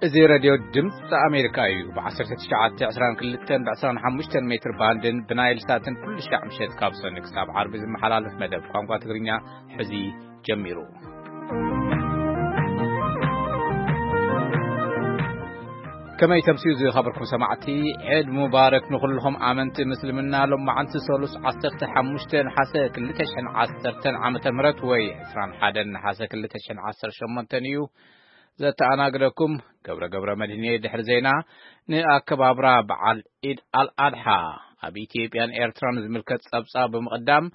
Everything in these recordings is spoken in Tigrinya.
እዚ ሬድዮ ድምፂ ኣሜሪካ እዩ። ብ1922 ብ25 ሜትር ባንድን ብናይል ሳትን ኩሉ ሻዕ ምሸት ካብ ሰኒ ክሳብ ዓርቢ ዝመሓላለፍ መደብ ቋንቋ ትግርኛ ሕዚ ጀሚሩ። ከመይ ተምስዩ ዝኸበርኩም ሰማዕቲ፣ ዒድ ሙባረክ ንኹልኹም ኣመንቲ ምስልምና። ሎማዓንቲ ሰሉስ 15 ነሓሰ 2010 ዓመተ ምህረት ወይ 21 ነሓሰ 2018 እዩ። ዘተኣናግደኩም ገብረ ገብረ መድህን እየ። ድሕሪ ዜና፣ ንኣከባብራ በዓል ኢድ ኣልኣድሓ ኣብ ኢትዮጵያን ኤርትራን ዝምልከት ጸብጻብ ብምቕዳም፣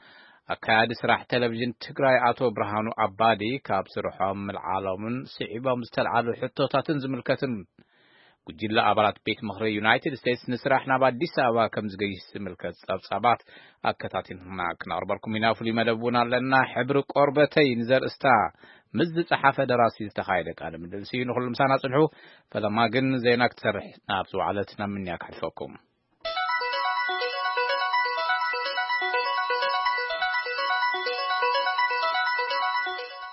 ኣካያዲ ስራሕ ቴሌቪዥን ትግራይ ኣቶ ብርሃኑ ኣባዲ ካብ ስርሖም ምልዓሎምን ስዒቦም ዝተልዓሉ ሕቶታትን ዝምልከትን ጉጅለ ኣባላት ቤት ምኽሪ ዩናይትድ ስቴትስ ንስራሕ ናብ ኣዲስ ኣበባ ከም ዝገይሽ ዝምልከት ጸብጻባት ኣከታቲልና ክነቕርበልኩም ኢና። ፍሉይ መደብ እውን ኣለና። ሕብሪ ቆርበተይ ንዘርእስታ ምስ ዝጸሓፈ ደራሲ ዝተኻየደ ቃለ ምልልስ እዩ። ንኹሉ ምሳና ጽንሑ። ፈለማ ግን ዜና ክትሰርሕ ናብ ዝወዓለት ናብ ምንያ ክሓልፈኩም።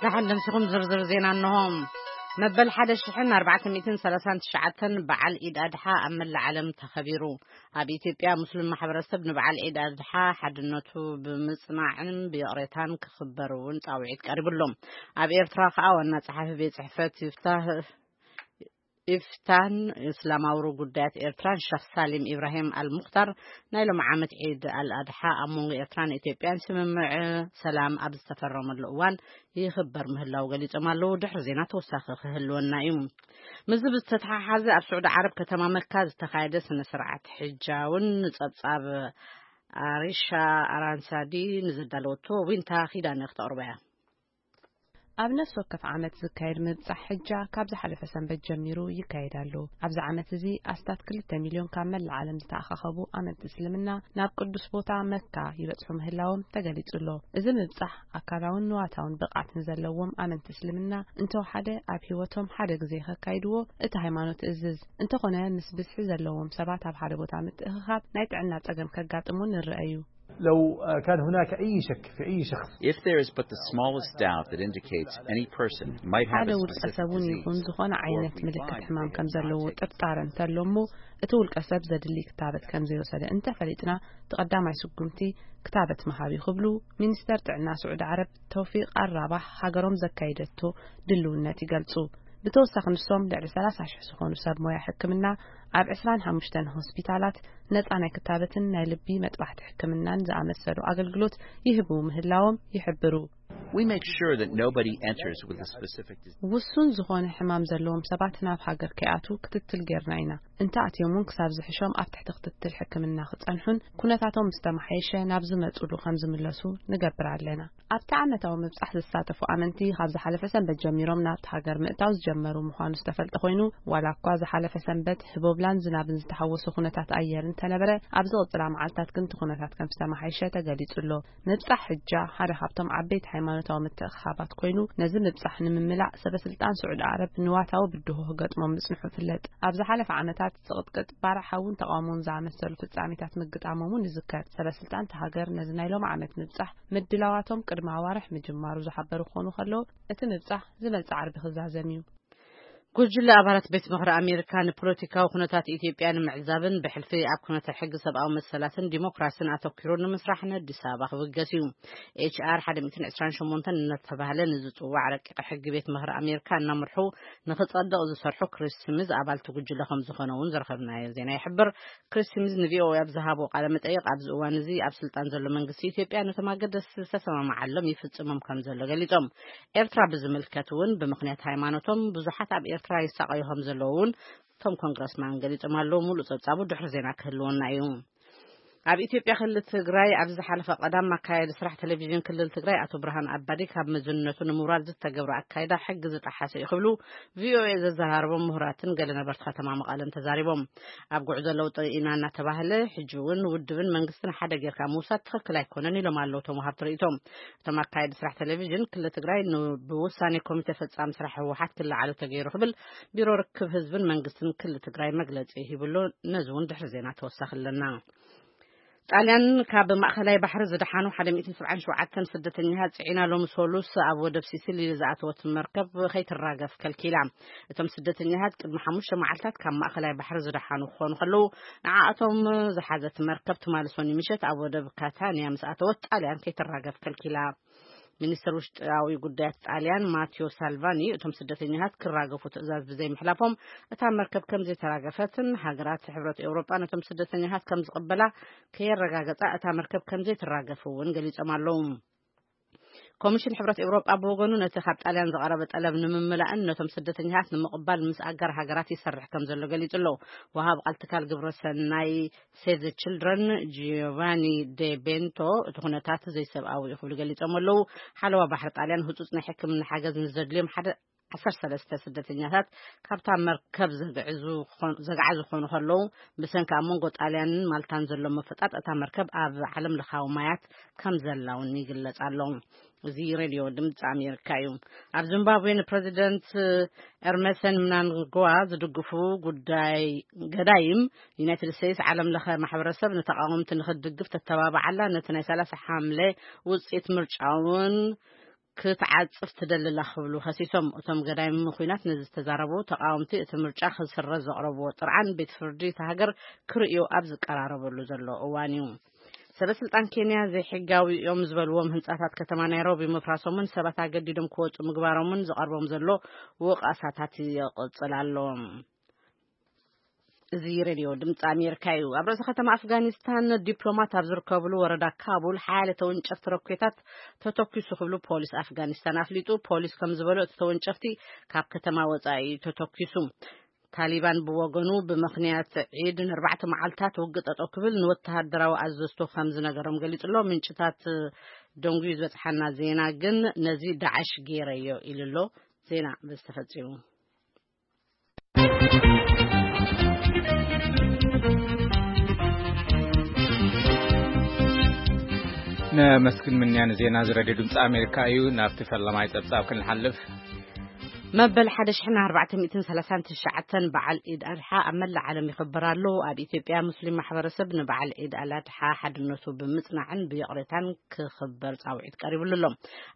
ደሓን ደምሲኹም ዝርዝር ዜና እንሆ። መበል 1439 በዓል ኢድ ኣድሓ ኣብ መላእ ዓለም ተኸቢሩ። ኣብ ኢትዮጵያ ሙስሊም ማሕበረሰብ ንበዓል ኢድ ኣድሓ ሓድነቱ ብምጽናዕን ብይቕሬታን ክኽበር እውን ጻውዒት ቀሪቡሎም። ኣብ ኤርትራ ከኣ ዋና ጸሓፊ ቤት ጽሕፈት ይፍታህ ኢፍታን እስላማዊ ጉዳያት ኤርትራን ሸኽ ሳሊም ኢብራሂም ኣልሙኽታር ናይ ሎሚ ዓመት ዒድ ኣልኣድሓ ኣብ መንጎ ኤርትራን ኢትዮጵያን ስምምዕ ሰላም ኣብ ዝተፈረመሉ እዋን ይኽበር ምህላው ገሊጾም ኣለዉ። ድሕሪ ዜና ተወሳኺ ክህልወና እዩ። ምስዚ ብዝተተሓሓዘ ኣብ ስዑዲ ዓረብ ከተማ መካ ዝተኻየደ ስነ ስርዓት ሕጃ እውን ንጸብጻብ ኣሪሻ ኣራንሳዲ ንዘዳለወቶ ዊንታ ኪዳነ ክተቕርቦ እያ። ኣብ ነፍሲ ወከፍ ዓመት ዝካየድ ምብጻሕ ሕጃ ካብ ዝሓለፈ ሰንበት ጀሚሩ ይካየድ ኣሎ። ኣብዚ ዓመት እዚ ኣስታት 2 ሚልዮን ካብ መላእ ዓለም ዝተኣኻኸቡ ኣመንቲ እስልምና ናብ ቅዱስ ቦታ መካ ይበጽሑ ምህላዎም ተገሊጹ ኣሎ። እዚ ምብጻሕ ኣካላውን ንዋታውን ብቕዓት ንዘለዎም ኣመንቲ እስልምና እንተወሓደ ኣብ ህይወቶም ሓደ ግዜ ከካይድዎ እቲ ሃይማኖት እዝዝ። እንተኾነ ምስ ብዝሒ ዘለዎም ሰባት ኣብ ሓደ ቦታ ምትእኽኻብ ናይ ጥዕና ጸገም ከጋጥም እውን ንርአ እዩ። لو كان هناك أي شك في أي شخص If there is but the smallest doubt that indicates any person might have ሓደ a ውልቀ specific ሰብ እውን disease, ይኹን ዝኾነ ዓይነት ምልክት ሕማም ከም ዘለዎ ጥርጣረ እንተሎ እሞ እቲ ውልቀ ሰብ ዘድሊ ክታበት ከም ዘይወሰደ እንተፈሊጥና እቲ ቀዳማይ ስጉምቲ ክታበት ምሃብ እዩ ክብሉ ሚኒስተር ጥዕና ስዑዲ ዓረብ ተውፊቅ ኣራባህ ሃገሮም ዘካይደቶ ድልውነት ይገልጹ። ብተወሳኺ ንሶም ልዕሊ 30 ሺሕ ዝኾኑ ሰብ ሞያ ሕክምና ኣብ 25 ሆስፒታላት ነጻ ናይ ክታበትን ናይ ልቢ መጥባሕቲ ሕክምናን ዝኣመሰሉ ኣገልግሎት ይህቡ ምህላዎም ይሕብሩ። We make sure that nobody enters with a specific disease. ውሱን ዝኾነ ሕማም ዘለዎም ሰባት ናብ ሃገር ከይኣትዉ ክትትል ጌርና ኢና። እንተ ኣትዮም እውን ክሳብ ዝሕሾም ኣብ ትሕቲ ክትትል ሕክምና ክጸንሑን ኩነታቶም ምስ ተመሓየሸ ናብ ዝመጹሉ ከም ዝምለሱ ንገብር ኣለና። ኣብቲ ዓመታዊ ምብጻሕ ዝሳተፉ ኣመንቲ ካብ ዝሓለፈ ሰንበት ጀሚሮም ናብቲ ሃገር ምእታው ዝጀመሩ ምዃኑ ዝተፈልጠ ኮይኑ ዋላ እኳ ዝሓለፈ ሰንበት ህቦብላን ዝናብን ዝተሓወሶ ኩነታት ኣየር እንተነበረ ኣብ ዝቕጽላ መዓልታት ግን እቲ ኩነታት ከም ዝተመሓየሸ ተገሊጹ ኣሎ። ምብጻሕ ሕጃ ሓደ ካብቶም ዓበይቲ ሃይማኖታዊ ምትእኽኻባት ኮይኑ ነዚ ምብጻሕ ንምምላእ ሰበ ስልጣን ስዑዲ ዓረብ ንዋታዊ ብድሆ ክገጥሞም ምጽንሑ ይፍለጥ። ኣብ ዝሓለፈ ዓመታት ዝቕጥቅጥ ባርዕ ሓውን ተቓውሞን ዝኣመሰሉ ፍጻሜታት ምግጣሞም እውን ይዝከር። ሰበ ስልጣን እታ ሃገር ነዚ ናይ ሎም ዓመት ምብጻሕ ምድላዋቶም ቅድሚ ኣዋርሕ ምጅማሩ ዝሓበሩ ክኾኑ ከለዉ እቲ ምብጻሕ ዝመጽእ ዓርቢ ክዛዘም እዩ። ጉጅለ ኣባላት ቤት ምኽሪ ኣሜሪካ ንፖለቲካዊ ኩነታት ኢትዮጵያ ንምዕዛብን ብሕልፊ ኣብ ኩነተ ሕጊ ሰብኣዊ መሰላትን ዲሞክራሲን ኣተኪሩ ንምስራሕ ንኣዲስ ኣበባ ክብገስ እዩ። ኤች ኣር 128 እናተባህለ ንዝፅዋዕ ረቂቕ ሕጊ ቤት ምኽሪ ኣሜሪካ እናመርሑ ንክፀድቕ ዝሰርሑ ክሪስ ስሚዝ ኣባልቲ ጉጅለ ከም ዝኾነ እውን ዝረኸብናዮ ዜና ይሕብር። ክሪስ ስሚዝ ንቪኦኤ ኣብ ዝሃቦ ቃለ መጠይቕ ኣብዚ እዋን እዚ ኣብ ስልጣን ዘሎ መንግስቲ ኢትዮጵያ ነቶም ኣገደስቲ ዝተሰማማዓሎም ይፍፅሞም ከም ዘሎ ገሊፆም። ኤርትራ ብዝምልከት እውን ብምኽንያት ሃይማኖቶም ብዙሓት ኣብ ኤርትራ ይሳቐዩ ከም ዘለዉ እውን እቶም ኮንግረስማን ገሊጾም ኣለዉ። ሙሉእ ጸብጻቡ ድሕሪ ዜና ክህልወና እዩ። ኣብ ኢትዮጵያ ክልል ትግራይ ኣብ ዝሓለፈ ቀዳም ኣካያዲ ስራሕ ቴሌቪዥን ክልል ትግራይ ኣቶ ብርሃን ኣባዲ ካብ መዝነቱ ንምውራድ ዝተገብረ ኣካይዳ ሕጊ ዝጠሓሰ እዩ ክብሉ ቪኦኤ ዘዘራረቦም ምሁራትን ገለ ነበርቲ ከተማ መቐለን ተዛሪቦም። ኣብ ጉዕዞ ለውጢ ኢና እናተባህለ ሕጂ እውን ውድብን መንግስትን ሓደ ጌርካ ምውሳድ ትኽክል ኣይኮነን ኢሎም ኣለዉ እቶም ወሃብቲ ርእይቶም። እቶም ኣካየዲ ስራሕ ቴሌቪዥን ክልል ትግራይ ን- ብውሳኔ ኮሚቴ ፈጻሚ ስራሕ ህወሓት ክለዓሉ ተገይሩ ክብል ቢሮ ርክብ ህዝብን መንግስትን ክልል ትግራይ መግለጺ ሂብሉ። ነዚ እውን ድሕሪ ዜና ተወሳኺ ኣለና። ጣልያን ካብ ማእኸላይ ባሕሪ ዝደሓኑ ሓደ ሚእትን ሰብዓን ሸውዓተን ስደተኛታት ጽዒና ሎሚ ሰሉስ ኣብ ወደብ ሲሲሊ ዝኣተወት መርከብ ከይትራገፍ ከልኪላ። እቶም ስደተኛታት ቅድሚ ሓሙሽተ መዓልታት ካብ ማእኸላይ ባሕሪ ዝደሓኑ ክኾኑ ከለዉ፣ ንዓኣቶም ዝሓዘት መርከብ ትማሊ ሰኑይ ምሸት ኣብ ወደብ ካታንያ ምስ ኣተወት ጣልያን ከይትራገፍ ከልኪላ። ሚኒስትር ውሽጣዊ ጉዳያት ጣልያን ማቴዎ ሳልቫኒ፣ እቶም ስደተኛታት ክራገፉ ትእዛዝ ብዘይምሕላፎም፣ እታ መርከብ ከም ዘይተራገፈትን ሃገራት ሕብረት ኤውሮጳ ነቶም ስደተኛታት ከም ዝቕበላ ከየረጋገጻ፣ እታ መርከብ ከም ዘይትራገፍ እውን ገሊጾም ኣለዉ። ኮሚሽን ሕብረት ኤውሮጳ ብወገኑ፣ ነቲ ካብ ጣልያን ዝቐረበ ጠለብ ንምምላእን ነቶም ስደተኛታት ንምቕባል ምስ ኣጋር ሃገራት ይሰርሕ ከም ዘሎ ገሊጹ ኣሎ። ወሃብ ቃል ትካል ግብረ ሰናይ ሴቭ ዘ ችልድረን ጂዮቫኒ ደ ቤንቶ፣ እቲ ኩነታት ዘይሰብኣዊ እዩ ክብሉ ገሊጾም ኣለዉ። ሓለዋ ባሕሪ ጣልያን ህጹጽ ናይ ሕክምና ሓገዝ ንዘድልዮም ሓደ ዓሰርተ ሰለስተ ስደተኛታት ካብታ መርከብ ዘግዕዙ ኾን-፣ ዘግዓዙ ክኾኑ ከለዉ፣ ብሰንኪ ኣብ መንጎ ጣልያንን ማልታን ዘሎ ምፍጣጥ፣ እታ መርከብ ኣብ ዓለም ለኻዊ ማያት ከም ዘላ እውን ይግለጽ ኣሎ። እዚ ሬድዮ ድምፂ ኣሜሪካ እዩ። ኣብ ዚምባብዌ ንፕረዚደንት ኤርመሰን ምናንግዋ ዝድግፉ ጉዳይ ገዳይም፣ ዩናይትድ ስቴትስ ዓለም ለኸ ማሕበረሰብ ንተቃወምቲ ንክትድግፍ ተተባብዓላ፣ ነቲ ናይ ሰላሳ ሓምለ ውፅኢት ምርጫ እውን ክትዓጽፍ ትደልላ ክብሉ ከሲሶም። እቶም ገዳይም ኩናት ነዚ ዝተዛረቡ ተቃወምቲ፣ እቲ ምርጫ ክስረዝ ዘቕረብዎ ጥርዓን ቤት ፍርዲ እታ ሃገር ክርእዮ ኣብ ዝቀራረበሉ ዘሎ እዋን እዩ። ሰበ ስልጣን ኬንያ ዘይሕጋዊ እዮም ዝበልዎም ህንጻታት ከተማ ናይሮቢ ምፍራሶምን ሰባት ኣገዲዶም ክወጹ ምግባሮምን ዝቐርቦም ዘሎ ወቐሳታት ይቕጽል ኣሎ። እዚ ሬድዮ ድምፂ ኣሜሪካ እዩ። ኣብ ርእሲ ከተማ ኣፍጋኒስታን ዲፕሎማት ኣብ ዝርከብሉ ወረዳ ካቡል ሓያለ ተወንጨፍቲ ሮኬታት ተተኪሱ ክብሉ ፖሊስ ኣፍጋኒስታን ኣፍሊጡ። ፖሊስ ከም ዝበሎ፣ እቲ ተወንጨፍቲ ካብ ከተማ ወጻኢ እዩ ተተኪሱ። ታሊባን ብወገኑ፣ ብምኽንያት ዒድ ንኣርባዕተ መዓልታት ውግእ ጠጠው ክብል ንወተሃደራዊ ኣዘዝቶ ከም ዝነገሮም ገሊጹ ኣሎ። ምንጭታት ደንጉዩ ዝበጽሓና ዜና ግን፣ ነዚ ዳዕሽ ገይረዮ ኢሉ ኣሎ። ዜና በዚ ተፈጺሙ። ነመስግን ምንያ ንዜና እዚ ሬድዮ ድምፂ ኣሜሪካ እዩ። ናብቲ ፈለማይ ጸብጻብ ክንሓልፍ። መበል ሓደ ሽሕን ኣርባዕተ ሚእትን ሰላሳን ትሽዓተን በዓል ዒድ ኣድሓ ኣብ መላእ ዓለም ይኽበር ኣሎ። ኣብ ኢትዮጵያ ሙስሊም ማሕበረሰብ ንበዓል ዒድ ኣልኣድሓ ሓድነቱ ብምጽናዕን ብይቕሬታን ክኽበር ጻውዒት ቀሪብሉ ኣሎ።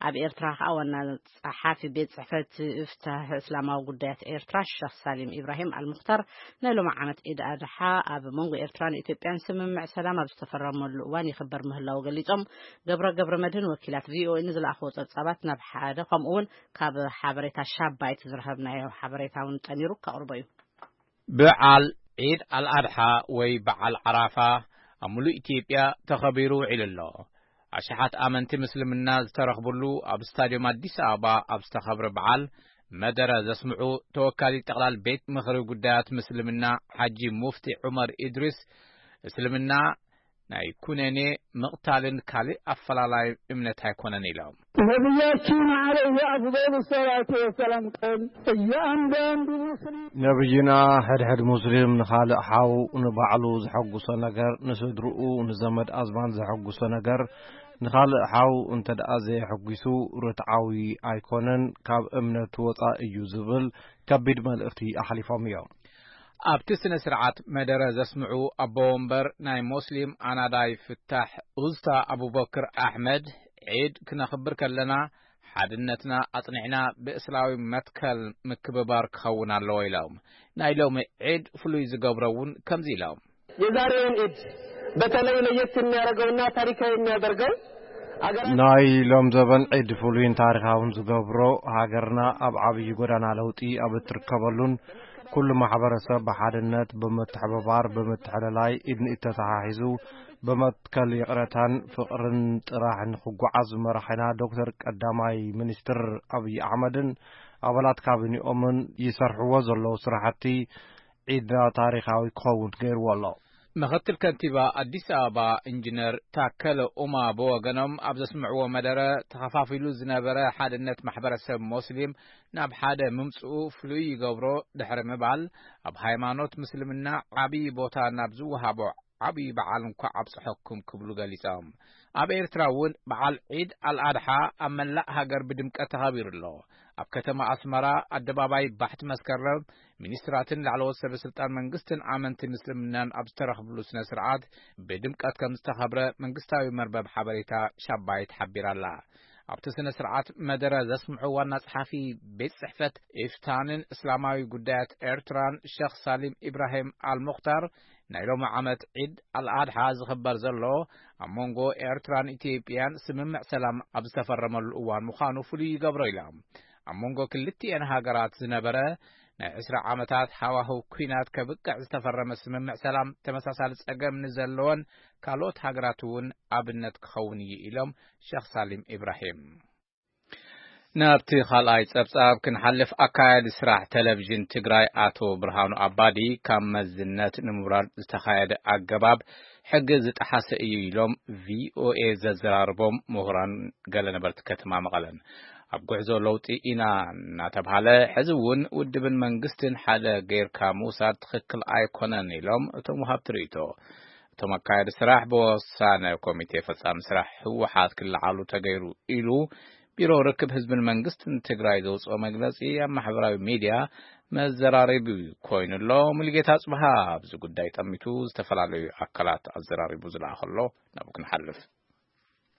ኣብ ኤርትራ ከኣ ዋና ጸሓፊ ቤት ጽሕፈት ፍትሕ እስላማዊ ጉዳያት ኤርትራ ሸኽ ሳሊም ኢብራሂም ኣልሙኽታር፣ ናይ ሎሚ ዓመት ዒድ ኣድሓ ኣብ መንጎ ኤርትራን ኢትዮጵያን ስምምዕ ሰላም ኣብ ዝተፈረመሉ እዋን ይኽበር ምህላዉ ገሊጾም። ገብረ ገብረ መድህን ወኪላት ቪኦኤ ንዝለኣኽዎ ጸብጻባት ናብ ሓደ፣ ከምኡ እውን ካብ ሓበሬታ ሻባይት ዝረኸብናዮ ሓበሬታ እውን ጠሚሩ ከቕርቦ እዩ። በዓል ዒድ ኣልኣድሓ ወይ በዓል ዓራፋ ኣብ ሙሉእ ኢትዮጵያ ተኸቢሩ ውዒሉ ኣሎ። ኣሽሓት ኣመንቲ ምስልምና ዝተረኽብሉ ኣብ ስታድዮም ኣዲስ ኣበባ ኣብ ዝተኸብረ በዓል መደረ ዘስምዑ ተወካሊ ጠቕላል ቤት ምኽሪ ጉዳያት ምስልምና ሓጂ ሙፍቲ ዑመር ኢድሪስ፣ እስልምና ናይ ኩነኔ፣ ምቕታልን ካልእ ኣፈላላይ እምነት ኣይኮነን ኢሎም። ነቢያችን عليه أفضل الصلاة والسلام قال: እያንዳንዱ ሙስሊም ነቢይና፣ ሕድሕድ ሙስሊም ንኻልእ ሓው ንባዕሉ ዘሐጉሶ ነገር፣ ንስድርኡ፣ ንዘመድ ኣዝማድ ዘሐጉሶ ነገር፣ ንኻልእ ሓው እንተ ደኣ ዘየሐጒሱ፣ ርትዓዊ ኣይኮነን፣ ካብ እምነት ወጻእ እዩ ዝብል ከቢድ መልእኽቲ ኣሕሊፎም እዮም። ኣብቲ ስነ ስርዓት መደረ ዘስምዑ ኣቦ ወንበር ናይ ሞስሊም ኣናዳይ ፍታሕ ኡስታ ኣቡበክር ኣሕመድ፣ ዒድ ክነኽብር ከለና ሓድነትና ኣጽኒዕና ብእስላዊ መትከል ምክብባር ክኸውን ኣለዎ ኢሎም። ናይ ሎሚ ዒድ ፍሉይ ዝገብሮ እውን ከምዚ ኢሎም። የዛሬውን ኢድ በተለይ ለየት የሚያደርገውና ታሪካዊ የሚያደርገው አገራ ናይ ሎም ዘበን ዒድ ፍሉይን ታሪኻውን ዝገብሮ፣ ሃገርና ኣብ ዓብዪ ጎዳና ለውጢ ኣብ እትርከበሉን ኩሉ ማሕበረሰብ ብሓድነት፣ ብምትሕብባር፣ ብምትሕልላይ፣ ኢድ ንኢድ ተተሓሒዙ ብመትከል ይቕረታን ፍቕርን ጥራሕ ንኽጓዓዝ መራሒና ዶክተር ቀዳማይ ሚኒስትር ኣብይ ኣሕመድን ኣባላት ካቢኒኦምን ይሰርሕዎ ዘለዉ ስራሕቲ ዒድና ታሪኻዊ ክኸውን ገይርዎ ኣሎ። ምኽትል ከንቲባ ኣዲስ ኣበባ ኢንጂነር ታከለ ኡማ ብወገኖም ኣብ ዘስምዕዎ መደረ፣ ተኸፋፊሉ ዝነበረ ሓድነት ማሕበረሰብ ሞስሊም ናብ ሓደ ምምጽኡ ፍሉይ ይገብሮ ድሕሪ ምባል፣ ኣብ ሃይማኖት ምስልምና ዓብዪ ቦታ ናብ ዝወሃቦ ዓብዪ በዓል እንኳዕ ኣብጽሐኩም ክብሉ ገሊጾም። ኣብ ኤርትራ እውን በዓል ዒድ ኣልኣድሓ ኣብ መላእ ሃገር ብድምቀት ተኸቢሩ ኣሎ። ኣብ ከተማ ኣስመራ ኣደባባይ ባሕቲ መስከረም ሚኒስትራትን ላዕለዎት ሰበ ስልጣን መንግስትን ኣመንቲ ምስልምናን ኣብ ዝተረኽብሉ ስነ ስርዓት ብድምቀት ከም ዝተኸብረ መንግስታዊ መርበብ ሓበሬታ ሻባይት ሓቢራ ኣላ። ኣብቲ ስነ ስርዓት መደረ ዘስምዑ ዋና ጸሓፊ ቤት ጽሕፈት ኢፍታንን እስላማዊ ጉዳያት ኤርትራን ሸኽ ሳሊም ኢብራሂም ኣልሙኽታር፣ ናይ ሎሚ ዓመት ዒድ ኣልኣድሓ ዝኽበር ዘሎ ኣብ መንጎ ኤርትራን ኢትዮጵያን ስምምዕ ሰላም ኣብ ዝተፈረመሉ እዋን ምዃኑ ፍሉይ ይገብሮ ኢሎም። ኣብ መንጎ ክልቲኤን ሃገራት ዝነበረ ናይ ዕስራ ዓመታት ሃዋህው ኲናት ከብቅዕ ዝተፈረመ ስምምዕ ሰላም ተመሳሳሊ ጸገም ንዘለወን ካልኦት ሃገራት እውን ኣብነት ክኸውን እዩ ኢሎም ሸኽ ሳሊም ኢብራሂም። ናብቲ ካልኣይ ጸብጻብ ክንሓልፍ፣ ኣካያዲ ስራሕ ቴሌቪዥን ትግራይ ኣቶ ብርሃኑ ኣባዲ ካብ መዝነት ንምውራድ ዝተኻየደ ኣገባብ ሕጊ ዝጠሓሰ እዩ ኢሎም ቪኦኤ ዘዘራርቦም ምሁራን ገለ ነበርቲ ከተማ መቐለን። ኣብ ጉዕዞ ለውጢ ኢና እናተብሃለ፣ ሕዚ እውን ውድብን መንግስትን ሓደ ጌርካ ምውሳድ ትኽክል ኣይኮነን ኢሎም እቶም ወሃብቲ ርእይቶ። እቶም ኣካያዲ ስራሕ ብወሳነ ኮሚቴ ፈጻሚ ስራሕ ህወሓት ክለዓሉ ተገይሩ ኢሉ ቢሮ ርክብ ህዝብን መንግስትን ትግራይ ዘውፅኦ መግለፂ ኣብ ማሕበራዊ ሚድያ መዘራረቢ ኮይኑ ኣሎ። ሙሉጌታ ጽብሃ ኣብዚ ጉዳይ ጠሚቱ ዝተፈላለዩ ኣካላት ኣዘራሪቡ ዝለኣኸሎ ናብኡ ክንሓልፍ።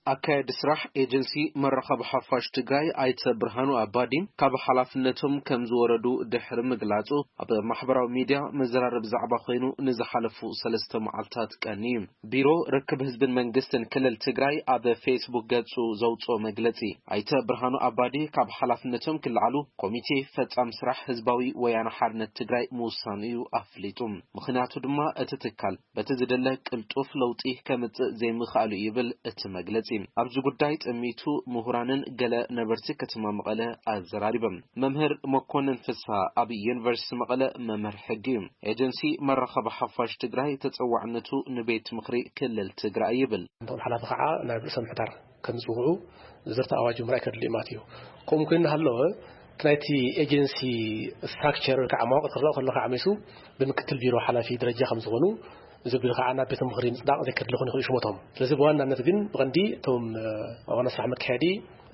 ኣካያዲ ስራሕ ኤጀንሲ መራኸቢ ሓፋሽ ትግራይ ኣይተ ብርሃኑ ኣባዲ ካብ ሓላፍነቶም ከም ዝወረዱ ድሕሪ ምግላጹ ኣብ ማሕበራዊ ሚድያ መዘራረቢ ዛዕባ ኮይኑ ንዝሓለፉ ሰለስተ መዓልታት ቀንዩ። ቢሮ ርክብ ህዝብን መንግስትን ክልል ትግራይ ኣብ ፌስቡክ ገጹ ዘውጽኦ መግለጺ፣ ኣይተ ብርሃኑ ኣባዲ ካብ ሓላፍነቶም ክለዓሉ ኮሚቴ ፈጻም ስራሕ ህዝባዊ ወያነ ሓርነት ትግራይ ምውሳኑ እዩ ኣፍሊጡ። ምኽንያቱ ድማ እቲ ትካል በቲ ዝደለ ቅልጡፍ ለውጢ ከምጽእ ዘይምኽኣሉ ይብል እቲ መግለጺ። ኣብዚ ጉዳይ ጠሚቱ ምሁራንን ገለ ነበርቲ ከተማ መቐለ ኣዘራሪቦም። መምህር መኮንን ፍስሃ ኣብ ዩኒቨርሲቲ መቐለ መምህር ሕጊ እዩ። ኤጀንሲ መራኸቢ ሓፋሽ ትግራይ ተጸዋዕነቱ ንቤት ምኽሪ ክልል ትግራይ ይብል። እንቶም ሓላፊ ከዓ ናብ ርእሰ ምሕዳር ከም ዝጽውዑ ዝርታ ኣዋጅ ምርኣይ ከድሊ እዩ ማለት እዩ። ከምኡ ኮይኑ እናሃለወ እቲ ናይቲ ኤጀንሲ ስትራክቸር ወይ ከዓ መዋቕር ክረኣ ከሎ ከዓ መይሱ ብምክትል ቢሮ ሓላፊ ደረጃ ከም ዝኾኑ፣ እዚ ቢሮ ከዓ ናብ ቤት ምኽሪ ምፅዳቕ ዘይከድሊ ክኾኑ ይኽእሉ ሽሞቶም። ስለዚ ብዋናነት ግን ብቐንዲ እቶም ዋና ስራሕ መካየዲ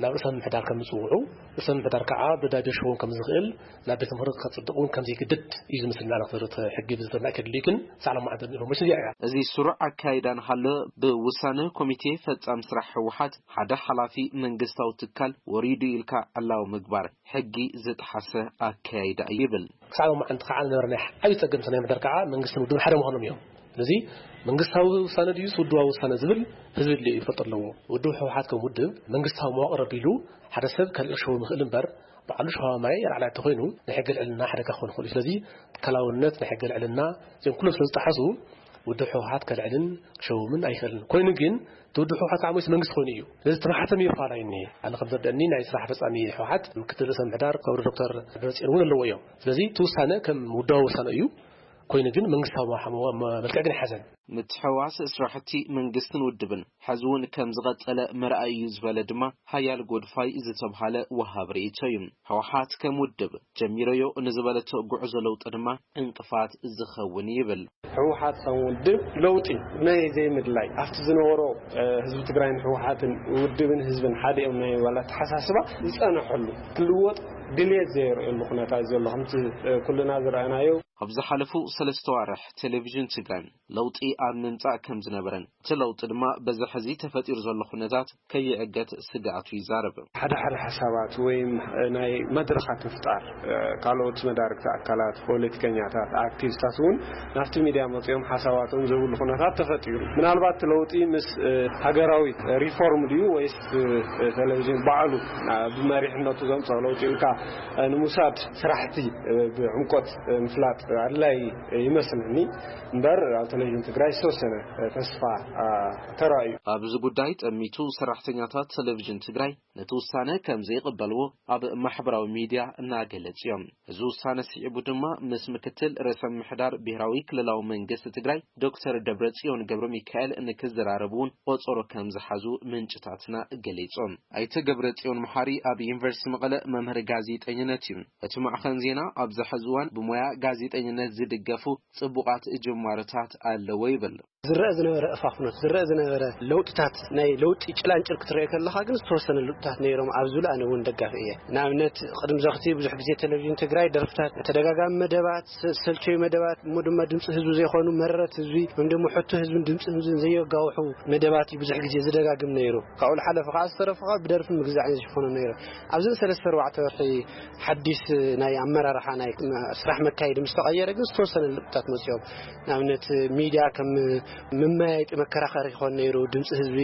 ናብ ርእሰ ምምሕዳር ከም ዝፅውዑ፣ ርእሰ ምምሕዳር ከዓ ብዳቤ ሽዎም ከም ዝኽእል ናብ ቤት ምኽሪ ከፅድቕ እውን ከም ዘይግድድ እዩ ዝምስል። ንሕና ንክትርኢ ሕጊ ብዝተርና ከድልዩ ግን ሳዕላ ማዕንተ ኢንፎርሜሽን እዚኣ እያ። እዚ ስሩዕ ኣካይዳ ንሃለ ብውሳነ ኮሚቴ ፈጻም ስራሕ ህወሓት ሓደ ሓላፊ መንግስታዊ ትካል ወሪዱ ኢልካ ዕላዊ ምግባር ሕጊ ዝጠሓሰ ኣካያይዳ እዩ ይብል። ክሳዕ ሎማዓንቲ ከዓ ዝነበረ ናይ ዓብዪ ጸገም ናይ ምሕደር ከዓ መንግስትን ውድብን ሓደ ምዃኖም እዮም። ስለዚ መንግስታዊ ውሳነ ድዩስ ውድባዊ ውሳነ ዝብል ህዝቢ ድልዮ ይፈልጦ ኣለዎ። ውድብ ህወሓት ከም ውድብ መንግስታዊ መዋቕር ኣቢሉ ሓደ ሰብ ከልእኽ ሸው ምኽእል እምበር ባዕሉ ሸዋ ማይ ራዕላይ ተኮይኑ ናይ ሕገ ልዕልና ሓደጋ ክኾን ይኽእል እዩ። ስለዚ ትካላውነት ናይ ሕገ ልዕልና እዚኦም ኩሎም ስለ ዝጠሓሱ ውድብ ህወሓት ከልዕልን ክሸውምን ኣይኽእልን። ኮይኑ ግን እቲ ውድብ ህወሓት ከዓ ሞይስ መንግስቲ ኮይኑ እዩ። ስለዚ እቲ ማሕተም እዩ ፋላይ እኒሄ። ኣነ ከም ዘርደእኒ ናይ ስራሕ ፈጻሚ ህወሓት ምክትል ርእሰ ምሕዳር ክቡር ዶክተር ደብረጽዮን እውን ኣለዎ እዮም። ስለዚ እቲ ውሳነ ከም ውዳዊ ውሳነ እዩ። ኮይኑ ግን መንግስታዊ መ-፣ መ-፣ መ-፣ መልክዕ ግን ኣይሓዘን። ምትሕውዋስ ስራሕቲ መንግስትን ውድብን ሕዚ እውን ከም ዝቐጸለ መርኣይ እዩ ዝበለ ድማ ሃያል ጎድፋይ ዝተብሃለ ወሃብ ርእይቶ እዩ። ህወሓት ከም ውድብ ጀሚረዮ ንዝበለቶ ጉዕዞ ለውጢ ድማ ዕንቅፋት ዝኸውን ይብል። ህወሓት ከም ውድብ ለውጢ ናይ ዘይምድላይ ኣብቲ ዝነበሮ፣ እ፣ ህዝቢ ትግራይን ህወሓትን ውድብን ህዝብን ሓደ እዮም ናይ ምባል ኣተሓሳስባ ዝጸንሐሉ ክልወጥ ድልየት ዘየርእየሉ ኩነታት ዘሎ ከምቲ፣ እ፣ ኩልና ዝረኣናዮ። ኣብ ዝሓለፉ ሰለስተ ዋርሕ ቴሌቪዥን ትግራይ ለውጢ ኣብ ምምጻእ ከም ዝነበረን እቲ ለውጢ ድማ በዚ ሕዚ ተፈጢሩ ዘሎ ኩነታት ከይዕገት ስግኣቱ ይዛረብ። ሓደ ሓደ ሓሳባት ወይ ናይ መድረኻት ምፍጣር፣ እ፣ ካልኦት መዳርግቲ ኣካላት፣ ፖለቲከኛታት፣ ኣክቲቪስታት እውን ናብቲ ሚድያ መፂኦም ሓሳባቶም ዝህብሉ ኩነታት ተፈጢሩ። ምናልባት እቲ ለውጢ ምስ፣ እ፣ ሃገራዊ ሪፎርም ድዩ ወይስ ብ-፣ ቴሌቪዥን ባዕሉ፣ እ፣ ብመሪሕነቱ ዘምፅኦ ለውጢ ኢልካ፣ እ፣ ንምውሳድ ስራሕቲ፣ እ፣ ብዕምቆት፣ እ፣ ምፍላጥ ኣድላይ ይመስለኒ። እምበር ኣብ ቴሌቪዥን ትግራይ ዝተወሰነ፣ እ፣ ተስፋ፣ እ፣ ተራእዩ። ኣብዚ ጉዳይ ጠሚቱ ሰራሕተኛታት ቴሌቪዥን ትግራይ ነቲ ውሳነ ከም ዘይቕበልዎ ኣብ ማሕበራዊ ሚድያ እናገለጹ እዮም። እዚ ውሳነ ስዒቡ ድማ ምስ ምክትል ርእሰ ምምሕዳር ብሄራዊ ክልላዊ መንግስቲ ትግራይ ዶክተር ደብረጽዮን ገብረ ሚካኤል ንክዘራረቡ እውን ቆጸሮ ከም ዝሓዙ ምንጭታትና ገሊጾም። ኣይተ ገብረጽዮን መሓሪ ኣብ ዩኒቨርሲቲ መቐለ መምህር ጋዜጠኝነት እዩ። እቲ ማዕኸን ዜና ኣብዚ ሕዚ እዋን ብሞያ ጋዜጠኝነት ዝድገፉ ጽቡቓት ጅማሮታት ኣለዎ ይብል። ዝረአ ዝነበረ እፋፍኖት፣ ዝረአ ዝነበረ ለውጥታት፣ ናይ ለውጢ ጭላንጭል ክትረአ ከለኻ ግን ዝተወሰነ ለውጥታት ነይሮም። ኣብዚ ሉ ኣነ እውን ደጋፊ እየ። ንኣብነት ቅድም ዘኽቲ ብዙሕ ግዜ ቴሌቪዥን ትግራይ ደርፍታት፣ ተደጋጋሚ መደባት፣ ሰልቸዩ መደባት፣ እሞ ድማ ድምፂ ህዝቢ ዘይኮኑ መረረት ህዝቢ ወይም ድማ ሕቶ ህዝብን ድምፂ ህዝብን ዘየጋውሑ መደባት እዩ ብዙሕ ግዜ ዝደጋግም ነይሩ። ካብኡ ዝሓለፈ ከዓ ዝተረፈ ከዓ ብደርፊ ምግዛዕን ዝሽፈኑ ነይሩ። ኣብዘን ሰለስተ ኣርባዕተ ወርሒ ሓዲስ ናይ ኣመራርሓ ናይ ስራሕ መካየዲ ምስ ተቐየረ ግን ዝተወሰነ ለውጥታት መፅኦም። ንኣብነት ሚድያ ከም መመያየጢ መከራኸሪ ይኾን ነይሩ። ድምፂ ህዝቢ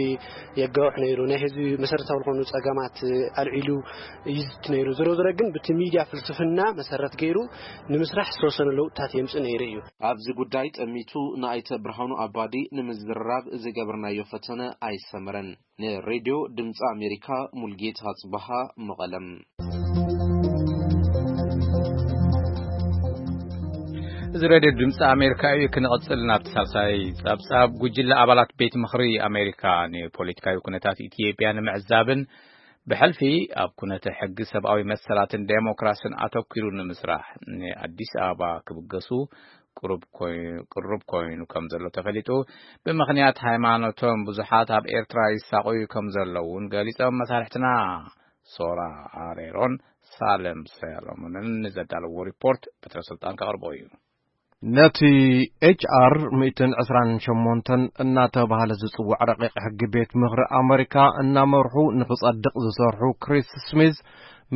የጋውሕ ነይሩ። ናይ ህዝቢ መሰረታዊ ዝኾኑ ፀገማት ኣልዒሉ ይዝት ነይሩ። ዝሮ ዝረ ግን ብቲ ሚድያ ፍልስፍና መሰረት ገይሩ ንምስራሕ ዝተወሰነ ለውጥታት የምፅእ ነይሩ እዩ። ኣብዚ ጉዳይ ጠሚቱ ንኣይተ ብርሃኑ ኣባዲ ንምዝርራብ ዝገበርናዮ ፈተነ ኣይሰመረን። ንሬድዮ ድምፂ ኣሜሪካ ሙልጌታ ጽበሃ፣ መቐለም። እዚ ሬድዮ ድምፂ ኣሜሪካ እዩ። ክንቐፅል ናብቲ ሳልሳይ ጸብጻብ። ጉጅለ ኣባላት ቤት ምኽሪ ኣሜሪካ ንፖለቲካዊ ኩነታት ኢትዮጵያ ንምዕዛብን ብሕልፊ ኣብ ኩነተ ሕጊ ሰብኣዊ መሰላትን ዴሞክራስን ኣተኲሩ ንምስራሕ ንኣዲስ ኣበባ ክብገሱ ቅሩብ ኮይ-፣ ቅሩብ ኮይኑ ከም ዘሎ ተፈሊጡ። ብምኽንያት ሃይማኖቶም ብዙሓት ኣብ ኤርትራ ይሳቐዩ ከም ዘለዉ እውን ገሊጾም። መሳርሕትና ሶራ ኣሬሮን ሳለም ሰሎሞንን ንዘዳለዎ ሪፖርት በትረ ስልጣን ከቕርቦ እዩ። ነቲ ኤች ኣር ሚእትን ዕስራን ሸሞንተን እናተባህለ ዝጽዋዕ ረቂቕ ሕጊ ቤት ምኽሪ ኣመሪካ እናመርሑ ንኽጸድቕ ዝሰርሑ ክሪስ ስሚዝ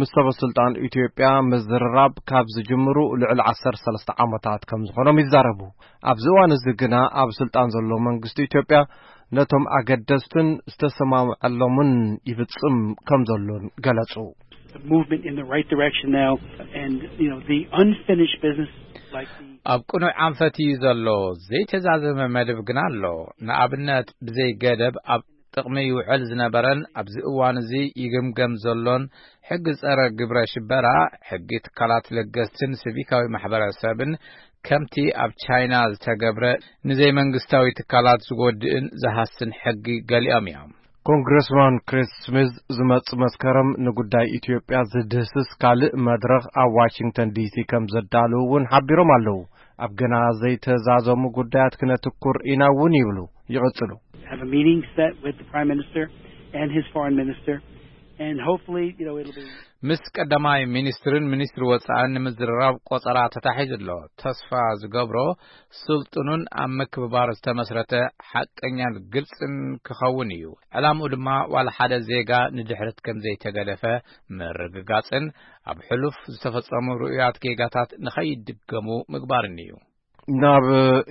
ምስ ሰበ ስልጣን ኢትዮጵያ ምዝርራብ ካብ ዝጅምሩ ልዕሊ ዓሰርተ ሰለስተ ዓመታት ከም ዝኾኖም ይዛረቡ። ኣብዚ እዋን እዚ ግና ኣብ ስልጣን ዘሎ መንግስቲ ኢትዮጵያ ነቶም ኣገደስትን ዝተሰማምዐሎምን ይፍጽም ከም ዘሎን ገለጹ። The movement in the right direction now, and, you know, the unfinished business, like the ኣብ ቅኑዕ ኣንፈት እዩ ዘሎ። ዘይተዛዘመ መደብ ግና ኣሎ። ንኣብነት ብዘይ ገደብ ኣብ ጥቕሚ ይውዕል ዝነበረን ኣብዚ እዋን እዚ ይግምገም ዘሎን ሕጊ ጸረ ግብረ ሽበራ፣ ሕጊ ትካላት ለገስትን ሲቪካዊ ማሕበረሰብን ከምቲ ኣብ ቻይና ዝተገብረ ንዘይመንግስታዊ ትካላት ዝጎድእን ዝሃስን ሕጊ ገሊኦም እዮም። ኮንግረስማን ክሪስ ስሚዝ ዝመጽእ መስከረም ንጉዳይ ኢትዮጵያ ዝድህስስ ካልእ መድረኽ ኣብ ዋሽንግተን ዲሲ ከም ዘዳልው እውን ሓቢሮም ኣለዉ። ኣብ ገና ዘይተዛዘሙ ጉዳያት ክነትኩር ኢና እውን ይብሉ። ይቕጽሉ። Have a meeting set with the Prime Minister and his foreign minister, and hopefully, you know, it'll be ምስ ቀዳማይ ሚኒስትርን ሚኒስትሪ ወጻእን ንምዝርራብ ቆጸራ ተታሒዙ ኣሎ። ተስፋ ዝገብሮ ስልጡኑን ኣብ ምክብባር ዝተመስረተ ሓቀኛን ግልጽን ክኸውን እዩ። ዕላምኡ ድማ ዋላ ሓደ ዜጋ ንድሕረት ከም ዘይተገደፈ ምርግጋጽን ኣብ ሕሉፍ ዝተፈጸሙ ርኡያት ጌጋታት ንኸይድገሙ ምግባርን እዩ። ናብ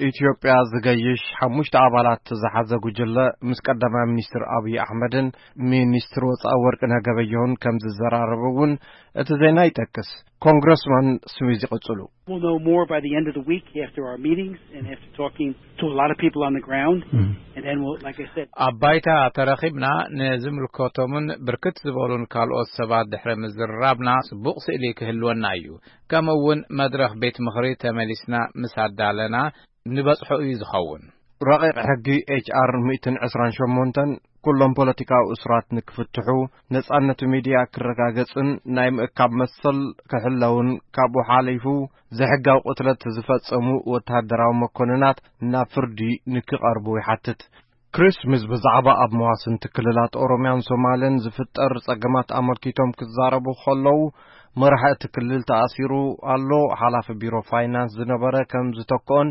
ኢትዮጵያ ዝገይሽ ሓሙሽተ ኣባላት ዝሓዘ ጉጅለ ምስ ቀዳማይ ሚኒስትር ኣብይ ኣሕመድን ሚኒስትር ወጻኢ ወርቅነህ ገበየሁን ከም ዝዘራረቡ እውን እቲ ዜና ይጠቅስ። ኮንግረስማን ስሚዝ ይቕጽሉ። We'll know more by the end of the week after our meetings and after talking to a lot of people on the ground. And then we'll, like I said, ኣብ ባይታ ተረኺብና ንዝምልከቶምን ብርክት ዝበሉን ካልኦት ሰባት ድሕሪ ምዝርራብና ጽቡቕ ስእሊ ክህልወና እዩ። ከምኡ እውን መድረኽ ቤት ምኽሪ ተመሊስና ምስ ኣዳለና ንበጽሖ እዩ ዝኸውን። ረቂቕ ሕጊ ኤች ኣር ሚእትን ዕስራን ሸሞንተን ኩሎም ፖለቲካዊ እሱራት ንክፍትሑ፣ ነጻነት ሚድያ ክረጋገጽን ናይ ምእካብ መሰል ክሕለውን ካብኡ ሓሊፉ ዘይሕጋዊ ቅትለት ዝፈጸሙ ወተሃደራዊ መኮንናት ናብ ፍርዲ ንክቐርቡ ይሓትት። ክሪስ ስሚዝ ብዛዕባ ኣብ መዋስንቲ ክልላት ኦሮምያን ሶማልን ዝፍጠር ጸገማት ኣመልኪቶም ክዛረቡ ከለዉ፣ መራሒ እቲ ክልል ተኣሲሩ ኣሎ፣ ሓላፊ ቢሮ ፋይናንስ ዝነበረ ከም ዝተክኦን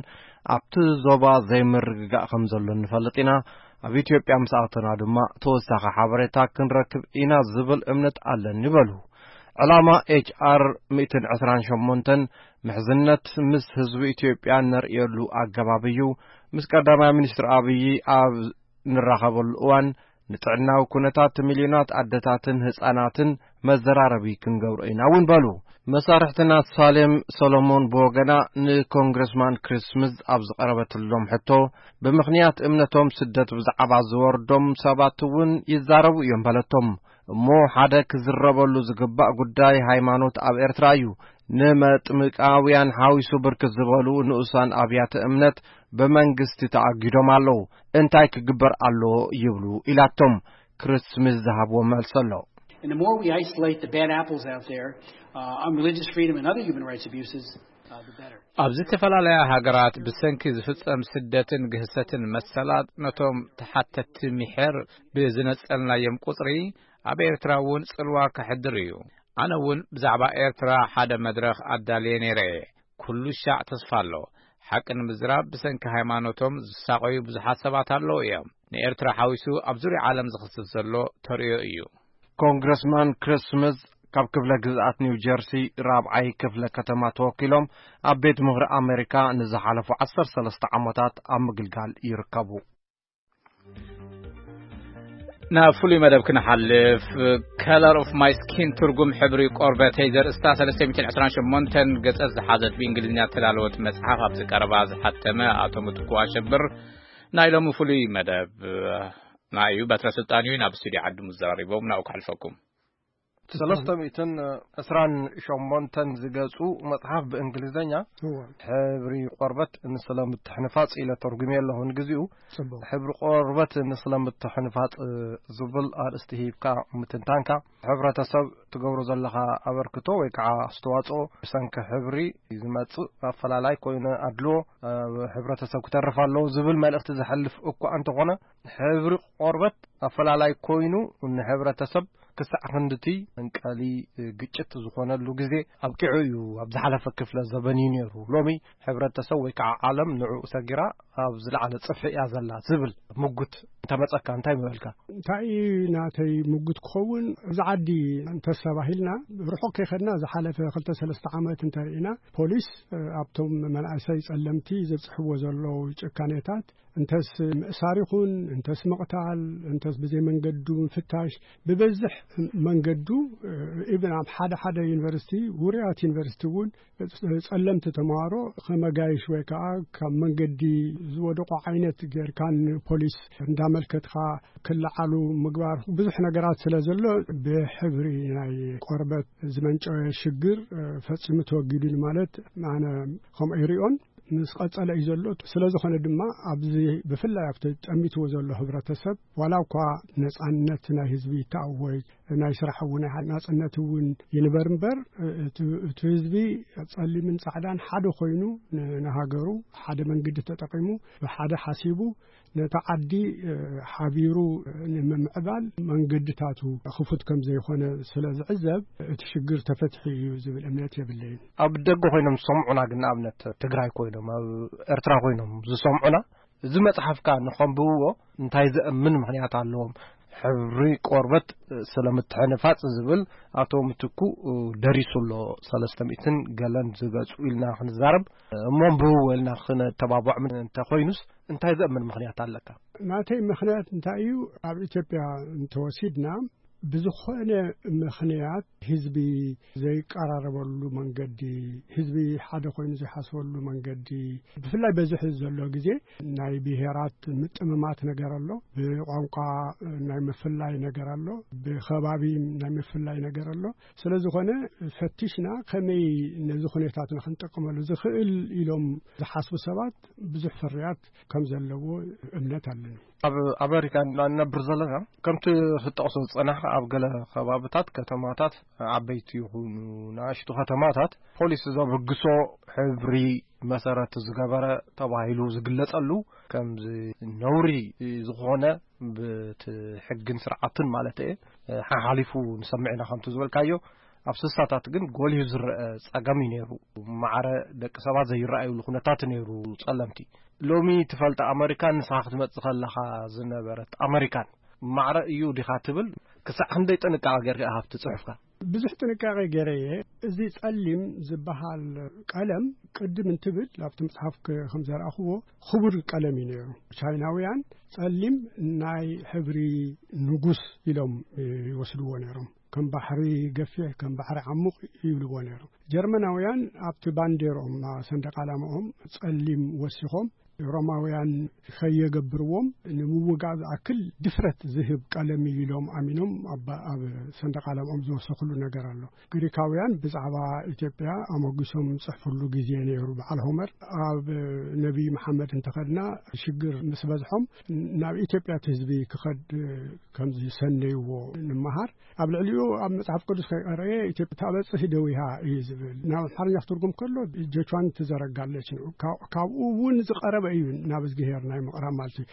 ኣብቲ ዞባ ዘይምርግጋእ ከም ዘሎን ንፈልጥ ኢና። ኣብ ኢትዮጵያ ምስ ኣተና ድማ ተወሳኺ ሓበሬታ ክንረክብ ኢና ዝብል እምነት ኣለኒ በሉ። ዕላማ ኤች ኣር ሚእትን ዕስራን ሸሞንተን ምሕዝነት ምስ ህዝቢ ኢትዮጵያ ነርእየሉ ኣገባብ እዩ። ምስ ቀዳማይ ሚኒስትር ኣብይ ኣብ ንራኸበሉ እዋን ንጥዕናዊ ኩነታት ሚልዮናት ኣደታትን ህጻናትን መዘራረቢ ክንገብሮ ኢና እውን በሉ። መሳርሕትና ሳሌም ሰሎሞን ብወገና ንኮንግረስማን ክሪስ ስሚዝ ኣብ ዝቐረበትሎም ሕቶ፣ ብምኽንያት እምነቶም ስደት ብዛዕባ ዝወርዶም ሰባት እውን ይዛረቡ እዮም በለቶም። እሞ ሓደ ክዝረበሉ ዝግባእ ጉዳይ ሃይማኖት ኣብ ኤርትራ እዩ። ንመጥምቃውያን ሓዊሱ ብርክት ዝበሉ ንኡሳን ኣብያተ እምነት ብመንግስቲ ተኣጊዶም ኣለዉ። እንታይ ክግበር ኣለዎ ይብሉ ኢላቶም። ክሪስ ስሚዝ ዝሃብዎ መልሲ ኣሎ። And the more we isolate the bad apples out there, uh, on religious freedom and other human rights abuses, ኣብ ዝተፈላለያ ሃገራት ብሰንኪ ዝፍጸም ስደትን ግህሰትን መሰላት ነቶም ተሓተትቲ ምሕር ብዝነጸልናዮም ቁጽሪ፣ ኣብ ኤርትራ እውን ጽልዋ ከሕድር እዩ። ኣነ እውን ብዛዕባ ኤርትራ ሓደ መድረኽ ኣዳልየ ነይረ እየ። ኩሉ ሻዕ ተስፋ ኣሎ። ሓቂ ንምዝራብ ብሰንኪ ሃይማኖቶም ዝሳቐዩ ብዙሓት ሰባት ኣለዉ እዮም። ንኤርትራ ሓዊሱ ኣብ ዙርያ ዓለም ዝኽስብ ዘሎ ተርእዮ እዩ። ኮንግረስማን ክሪስ ስሚዝ ካብ ክፍለ ግዝኣት ኒው ጀርሲ ራብዓይ ክፍለ ከተማ ተወኪሎም ኣብ ቤት ምኽሪ ኣሜሪካ ንዝሓለፉ ዓሰርተ ሰለስተ ዓመታት ኣብ ምግልጋል ይርከቡ። ናብ ፍሉይ መደብ ክንሓልፍ፣ ከለር ኦፍ ማይ ስኪን፣ ትርጉም ሕብሪ ቆርበተይ ዘርእስታ ሰለስተ ሚእትን ዕስራን ሸሞንተን ገጸት ዝሓዘት ብእንግሊዝኛ እተዳለወት መጽሓፍ ኣብዚ ቀረባ ዝሓተመ ኣቶ ምትኩ ኣሸብር ናይ ሎሚ ፍሉይ መደብ ናይ እዩ። በትረ ስልጣን እዩ ናብ ስቱዲዮ ዓዲ ምዘራሪቦም ናብኡ ከሕልፈኩም። ሰለስተ ሚእትን ዕስራን ሸሞንተን ዝገጹ መጽሓፍ ብእንግሊዝኛ እወ። ሕብሪ ቆርበት ንስለ ምትሕንፋጽ ኢለ ተርጉሜ ኣለኹ። ንግዚኡ ጽቡቕ። ሕብሪ ቆርበት ንስለ ምትሕንፋጽ ዝብል ኣርእስቲ ሂብካ ምትንታንካ፣ ሕብረተሰብ ትገብሮ ዘለኻ ኣበርክቶ ወይ ከዓ ኣስተዋጽኦ ብሰንኪ ሕብሪ ዝመጽእ ኣፈላላይ ኮይኑ ኣድልዎ ኣብ ሕብረተሰብ ክተርፍ ኣለዎ ዝብል መልእኽቲ ዘሕልፍ እኳ እንተኾነ፣ ሕብሪ ቆርበት ኣፈላላይ ኮይኑ ንሕብረተሰብ ክሳዕ ክንድቲ መንቀሊ ግጭት ዝኾነሉ ግዜ ኣብቂዑ እዩ። ኣብ ዝሓለፈ ክፍለ ዘበን እዩ ነይሩ። ሎሚ ሕብረተሰብ ወይ ከዓ ዓለም ንዕኡ ሰጊራ ኣብ ዝለዓለ ጽፍሒ እያ ዘላ ዝብል ምጉት እንተመጸካ እንታይ ምበልካ? እንታይ እዩ ናተይ ምጉት ክኸውን? እዚ ዓዲ እንተስተባሂልና፣ ርሑቕ ከይኸድና ዝሓለፈ ክልተ ሰለስተ ዓመት እንተርኢና፣ ፖሊስ፣ እ፣ ኣብቶም መናእሰይ ጸለምቲ ዘብጽሕዎ ዘለዉ ጭካኔታት፣ እንተስ ምእሳር ይኹን፣ እንተስ ምቕታል፣ እንተስ ብዘይ መንገዱ ምፍታሽ፣ ብበዝሕ መንገዱ፣ እ፣ ኢብን ኣብ ሓደ ሓደ ዩኒቨርሲቲ፣ ውሩያት ዩኒቨርሲቲ እውን ጸለምቲ ተምሃሮ ከመጋይሽ ወይ ከዓ ካብ መንገዲ ዝወደቁ ዓይነት ጌርካ ንፖሊስ እንዳመልከትካ ክለዓሉ ምግባር፣ ብዙሕ ነገራት ስለ ዘሎ፣ ብሕብሪ ናይ ቆርበት ዝመንጨወ ሽግር፣ እ፣ ፈጺሙ ተወጊዱ ማለት ኣነ ከምኡ ይሪኦን። ምስ ቀጸለ እዩ ዘሎ። ስለ ዝኾነ ድማ ኣብዚ ብፍላይ ኣብቲ ጠሚትዎ ዘሎ ህብረተሰብ፣ ዋላ እኳ ነጻነት ናይ ህዝቢ ይተኣወጅ፣ ናይ ስራሕ እውን ናይ ናጽነት እውን ይንበር እምበር፣ እቲ፣ እቲ ህዝቢ ጸሊምን ጻዕዳን ሓደ ኮይኑ ን-፣ ንሃገሩ ሓደ መንገዲ ተጠቂሙ ብሓደ ሓሲቡ ነታ ዓዲ፣ እ፣ ሓቢሩ ንምምዕባል መንገድታቱ ክፉት ከም ዘይኮነ ስለ ዝዕዘብ፣ እቲ ሽግር ተፈትሒ እዩ ዝብል እምነት የብለይን። ኣብ ደገ ኮይኖም ዝሰምዑና ግን፣ ንኣብነት ትግራይ ኮይኖም፣ ኣብ ኤርትራ ኮይኖም ዝሰምዑና፣ እዚ መጽሓፍካ ንኸንብብዎ እንታይ ዘእምን ምኽንያት ኣለዎም? ሕብሪ ቆርበት ስለ ምትሕንፋጽ ዝብል ኣቶ ምትኩ ደሪሱ ኣሎ፣ ሰለስተ ሚእትን ገለን ዝገጹ ኢልና ክንዛረብ እሞ፣ ኣንብብዎ ኢልና ክነተባብዖም እንተኾይኑስ፣ እንታይ ዘእምን ምኽንያት ኣለካ? ናተይ ምኽንያት እንታይ እዩ? ኣብ ኢትዮጵያ እንተወሲድና፣ ብዝኾነ ምኽንያት ህዝቢ ዘይቀራረበሉ መንገዲ፣ ህዝቢ ሓደ ኮይኑ ዘይሓስበሉ መንገዲ፣ ብፍላይ በዚ ሕዚ ዘሎ ግዜ ናይ ብሄራት ምጥምማት ነገር ኣሎ፣ ብቋንቋ ናይ ምፍላይ ነገር ኣሎ፣ ብኸባቢ ናይ ምፍላይ ነገር ኣሎ። ስለ ዝኾነ ፈቲሽና ከመይ ነዚ ኩነታትና ክንጠቀመሉ ዝኽእል ኢሎም ዝሓስቡ ሰባት ብዙሕ ፍርያት ከም ዘለዎ እምነት ኣለኒ። ኣብ ኣሜሪካ እንነብር ዘለና፣ ከምቲ ክትጠቕሶ ዝጸናሕካ፣ ኣብ ገለ ከባብታት፣ ከተማታት፣ ዓበይቲ ይኹኑ ንኣሽቱ ከተማታት፣ ፖሊስ ዘበግሶ ሕብሪ መሰረት ዝገበረ ተባሂሉ ዝግለጸሉ፣ ከምዚ ነውሪ ዝኾነ፣ ብቲ ሕግን ስርዓትን ማለት እየ፣ ሓሓሊፉ ንሰምዕ ኢና። ከምቲ ዝበልካዮ፣ ኣብ ስሳታት ግን ጎሊሁ ዝረአ ጸገም እዩ ነይሩ። ማዕረ ደቂ ሰባት ዘይረኣዩሉ ኩነታት ነይሩ። ጸለምቲ፣ ሎሚ ትፈልጣ ኣመሪካን ንስኻ ክትመጽእ ከለኻ ዝነበረት ኣመሪካን ማዕረ እዩ ዲኻ ትብል? ክሳዕ ክንደይ ጥንቃቐ ጌርካ ኢኻ ኣብቲ ጽሑፍካ? ብዙሕ ጥንቃቐ ገይረ እየ። እዚ ጸሊም ዝበሃል ቀለም፣ ቅድም እንትብል ኣብቲ መጽሓፍ ከ-፣ ከም ዘርኣኽዎ፣ ክቡር ቀለም እዩ ነይሩ። ቻይናውያን ጸሊም ናይ ሕብሪ ንጉስ ኢሎም ይወስድዎ ነይሮም። ከም ባሕሪ ገፊሕ፣ ከም ባሕሪ ዓሙቕ ይብልዎ ነይሮም። ጀርመናውያን ኣብቲ ባንዴርኦም፣ ሰንደቕ ዓላማኦም ጸሊም ወሲኾም፣ ሮማውያን ከየገብርዎም ንምውጋእ ዝኣክል ድፍረት ዝህብ ቀለም እዩ ኢሎም ኣሚኖም ኣብ ሰንደቕ ዓለምኦም ዝወሰኽሉ ነገር ኣሎ። ግሪካውያን ብዛዕባ ኢትዮጵያ ኣሞጊሶም ዝጽሕፍሉ ግዜ ነይሩ። በዓል ሆመር ኣብ ነቢይ መሓመድ እንተኸድና ሽግር ምስ በዝሖም ናብ ኢትዮጵያ እቲ ህዝቢ ክኸድ ከም ዝሰነይዎ ንምሃር። ኣብ ልዕሊኡ ኣብ መጽሓፍ ቅዱስ ከይቀረየ ኢትዮጵያ ታበጽሕ ደዊሃ እዩ ዝብል። ናብ ኣምሓርኛ ክትርጉም ከሎ ጀቹዋን ትዘረጋለች ነው። ካብ- ካብኡ እውን ዝቐረበ እዩ ናብ እዝግሄር ናይ ምቕራብ ማለት እዩ።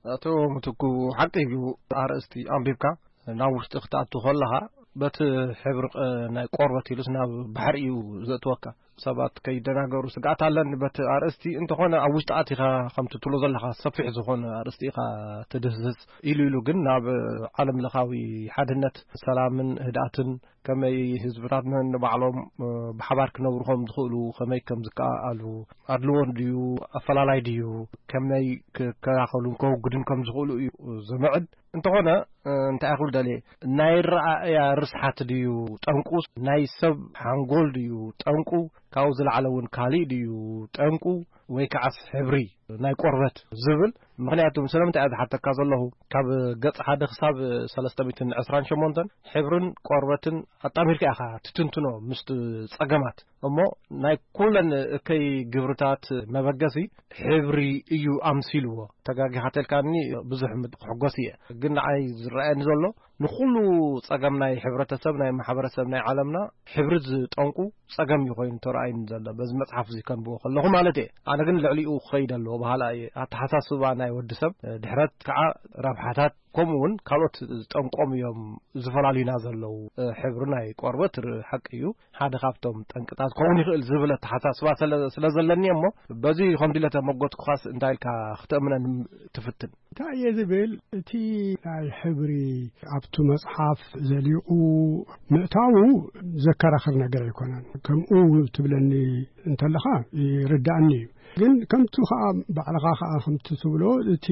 ኣቶ ምትኩ፣ ሓቂ እዩ። ኣርእስቲ ኣንቢብካ ናብ ውሽጢ ክትኣቱ ከለኻ በቲ ሕብሪ ቕ- ናይ ቆርበት ኢሉስ ናብ ባሕሪ እዩ ዘእትወካ። ሰባት ከይደናገሩ ስግኣት ኣለኒ በቲ ኣርእስቲ። እንተኾነ ኣብ ውሽጢ ኣቲኻ ከምቲ ትብሎ ዘለኻ ሰፊሕ ዝኾነ ኣርእስቲ ኢኻ ትድህስስ። ኢሉ ኢሉ ግን ናብ ዓለም ለኻዊ ሓድነት፣ ሰላምን ህድኣትን፣ ከመይ ህዝብታት ነንባዕሎም ብሓባር ክነብሩ ከም ዝኽእሉ፣ ከመይ ከም ዝከኣሉ፣ ኣድልዎ ድዩ ኣፈላላይ ድዩ፣ ከመይ ክከላኸሉን ከወግዱን ከም ዝኽእሉ እዩ ዘምዕድ። እንተኾነ እንታይ ክብል ደልየ፣ ናይ ረኣእያ ርስሓት ድዩ ጠንቁ፣ ናይ ሰብ ሓንጎል ድዩ ጠንቁ፣ ካብኡ ዝለዓለ እውን ካሊእ ድዩ ጠንቁ፣ ወይ ከዓስ ሕብሪ ናይ ቆርበት ዝብል? ምኽንያቱ ስለምንታይ እየ ዝሓተካ ዘለኹ፣ ካብ ገጽ ሓደ ክሳብ ሰለስተ ሚእትን ዕስራን ሸሞንተን ሕብርን ቆርበትን ኣጣሚርካ ኢኻ ትትንትኖ ምስቲ ጸገማት። እሞ ናይ ኩለን እከይ ግብርታት መበገሲ ሕብሪ እዩ ኣምሲልዎ። ተጋጊኻ ተልካኒ ብዙሕ ምድ- ክሕጎስ እየ፣ ግን ንዓይ ዝረኣየኒ ዘሎ ንኹሉ ጸገም ናይ ሕብረተሰብ፣ ናይ ማሕበረሰብ ናይ ዓለምና ሕብሪ ዝጠንቁ ጸገም እዩ ኮይኑ ተረኣይኒ ዘሎ፣ በዚ መጽሓፍ እዚ ከንብቦ ከለኹ ማለት እየ። ኣነ ግን ልዕሊኡ ክኸይድ ኣለዎ በሃላ እየ። ኣተሓሳስባ ናይ ወዲ ሰብ፣ ድሕረት ከዓ ረብሓታት፣ ከምኡ እውን ካልኦት ጠንቆም እዮም ዝፈላልዩና ዘለዉ። ሕብሪ ናይ ቆርበት ር- ሓቂ እዩ ሓደ ካብቶም ጠንቅታት ክኸውን ይኽእል ዝብል ኣተሓሳስባ ስለ- ስለ ዘለኒ እሞ፣ በዚ ከምዚ ኢለ ተመጎትኩኻስ እንታይ ኢልካ ክተእምነን ትፍትን? እንታይ እየ ዝብል፣ እቲ ናይ ሕብሪ ኣብቱ መጽሓፍ ዘሊቑ ምእታዉ ዘከራኽር ነገር ኣይኮነን። ከምኡ ትብለኒ እንተለኻ ይርዳእኒ እዩ። ግን ከምቲ ኸኣ ባዕልኻ ኸኣ ከምቲ ትብሎ፣ እቲ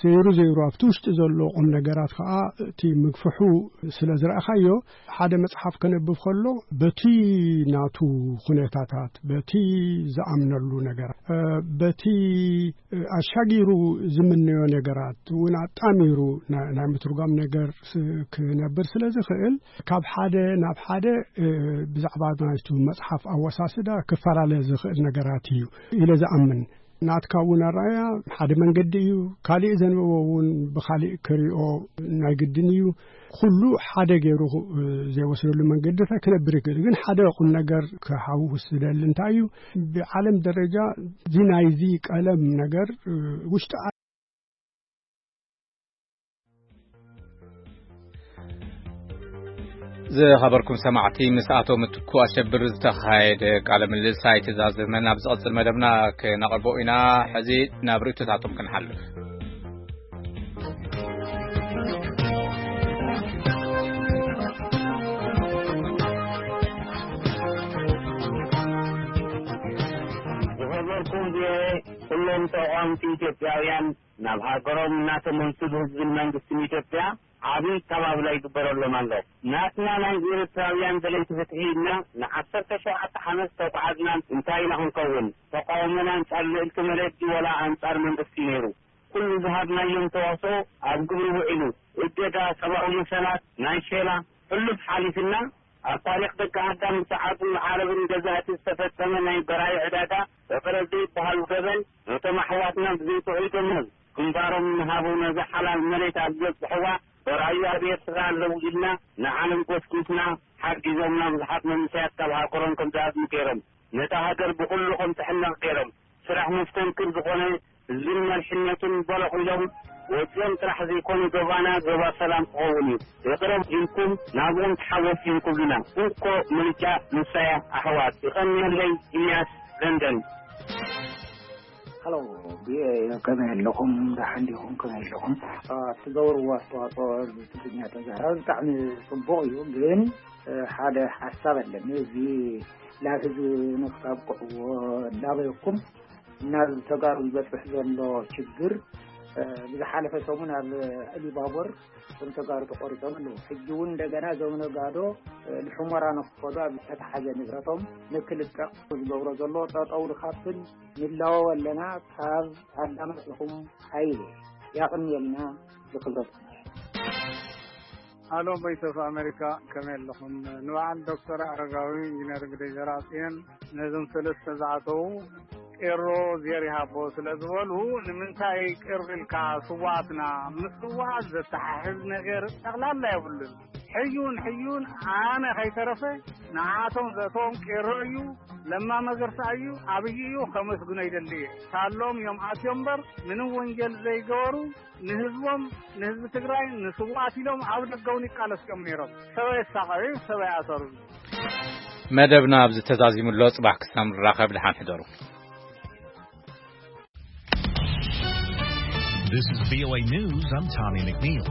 ዘይሩ ዘይሩ ኣብቲ ውሽጢ ዘሎ ቁም ነገራት ኸኣ እቲ ምግፍሑ ስለ ዝረኣኻዮ፣ ሓደ መጽሓፍ ከነብብ ከሎ በቲ ናቱ ኩነታታት፣ በቲ ዝኣምነሉ ነገር፣ እ፣ በቲ ኣሻጊሩ ዝምነዮ ነገራት እውን ኣጣሚሩ ና- ናይ ምትርጓም ነገር ስ- ክነብር ስለ ዝኽእል፣ ካብ ሓደ ናብ ሓደ፣ እ፣ ብዛዕባ ናይቱ መጽሓፍ ኣወሳስዳ ክፈላለ ዝኽእል ነገራት እዩ ኢለ ዝኣምን። ናትካ እውን ኣረኣያ ሓደ መንገዲ እዩ፣ ካሊእ ዘንበቦ እውን ብኻሊእ ክሪኦ ናይ ግድን እዩ። ኩሉ ሓደ ገይሩ፣ እ፣ ዘይወስደሉ መንገድታት ክነብር ይኽእል። ግን ሓደ ቁም ነገር ክሓውስ ዝደሊ እንታይ እዩ፣ ብዓለም ደረጃ እዚ ናይዚ ቀለም ነገር፣ እ፣ ውሽጢ ዝኸበርኩም ሰማዕቲ፣ ምስ ኣቶ ምትኩ ኣሸብር ዝተኻየደ ቃለ ምልልስ ኣይተዛዘመን። ኣብ ዝቐጽል መደብና ክነቕርቦ ኢና። ሕዚ ናብ ርእይቶታቶም ክንሓልፍ። ዝኸበርኩም ቪኦኤ፣ ኩሎም ተቓወምቲ ኢትዮጵያውያን ናብ ሃገሮም እናተመልሱ፣ ብህዝብን መንግስትን ኢትዮጵያ ዓብዪ ኣቀባብላ ይግበረሎም ኣሎ። ናትና ናይ ኤርትራውያን ደለይቲ ፍትሒ ኢልና ንዓሰርተ ሸውዓተ ዓመት ዝተጓዓዝና እንታይ ኢና ክንከውን? ተቃውሞና ኣንጻር ልእልቲ መለዲ ወላ ኣንጻር መንግስቲ ነይሩ። ኩሉ ዝሃብናዮም ተዋስኦ ኣብ ግብሪ ውዒሉ። እገዳ፣ ሰብኣዊ መሰላት፣ ናይ ሼላ፣ ሕሉፍ ሓሊፍና ኣብ ታሪኽ ደቂ ኣዳም ብሰዓብን ዓረብን ገዛእቲ ዝተፈጸመ ናይ በራዩ ዕዳጋ፣ ይቕረ ዘይበሃሉ ገበን፣ ነቶም ኣሕዋትና ብዘይትውዒ ደሞዝ ግንባሮም እናሃቡ ነዛ ሓላል መሬት ኣብ ዘብጽሕዋ በራዩ ኣብ ኤርትራ ኣለዉ ኢልና ንዓለም ጎስጒስና፣ ሓጊዞምና ብዙሓት መንእሰያት ካብ ሃገሮም ከም ዝሃድሙ ገይሮም፣ ነታ ሃገር ብኹሉ ከም ትሕነቕ ገይሮም፣ ስራሕ መስተንክር ዝኾነ ህዝብን መሪሕነቱን በሎኽ ኢሎም ወጺኦም ጥራሕ ዘይኮነ፣ ዞባና ዞባ ሰላም ክኸውን እዩ። ይቕረ ኢልኩም ናብኦም ተሓወስ ኢንኩብልና። እንኮ ምርጫ ንሳያ ኣሕዋት። ይቐንየለይ። ኢልያስ፣ ለንደን። ሃሎ፣ ብ-፣ ከመይ ኣለኹም? ደሓን ዲኹም? ከመይ ኣለኹም? አ፣ እትገብርዎ ኣስተዋጽኦ ብትግርኛ ተዛረብ ብጣዕሚ ጽቡቕ እዩ፣ ግን፣ እ፣ ሓደ ሓሳብ ኣለኒ። እዚ ናብ ህዝቢ ንክተብቅዕዎ እንዳበልኩም ናብ ተጋሩ ዝበጽሕ ዘሎ ችግር ብዝሓለፈ ሰሙን ኣብ ኢሉባቦር እቶም ተጋሩ ተቆሪጾም ኣለዉ። ሕጂ እውን እንደገና እዞም ነጋዶ ንሑመራ ንክኸዱ ኣብ ዝተታሓዘ ንብረቶም ንክልቀቕ ዝገብሮ ዘሎ ጠጠው ንካፍል ንላወው ኣለና። ካብ ኣዳማፅኹም ሓይሊ ያቕንየልና። ብክብረት ኣሎ። ቮይስ ኦፍ ኣሜሪካ፣ ከመይ ኣለኹም? ንበዓል ዶክተር ኣረጋዊ ኢንጂነር ግደይ ዘርኣጽዮን ነዞም ሰለስተ ዝኣተዉ ቄሮ ዜር ይሃቦ ስለ ዝበሉ፣ ንምንታይ ቄሮ ኢልካ? ስዋኣትና ምስ ስዋኣት ዘተሓሕዝ ነገር ጠቕላላ የብሉን። ሕዩን ሕዩን ኣነ ከይተረፈ ንዓቶም ዘእተዎም ቄሮ እዩ። ለማ መገርሳ እዩ፣ ኣብይ እዩ፣ ከመስግኖ ይደሊ እየ። ሳሎም እዮም ኣትዮም እምበር ምንም ወንጀል ዘይገበሩ፣ ንህዝቦም፣ ንህዝቢ ትግራይ፣ ንስዋኣት ኢሎም ኣብ ደገ እውን ይቃለሱ እዮም ነይሮም። ሰብ ኣየሳቐዩ፣ ሰብ ኣይኣሰሩን። መደብና ኣብዚ ተዛዚሙ ኣሎ። ጽባሕ ክሳብ ንራኸብ ደሓን ሕደሩ። This is V O A News. I'm Tommy McNeil.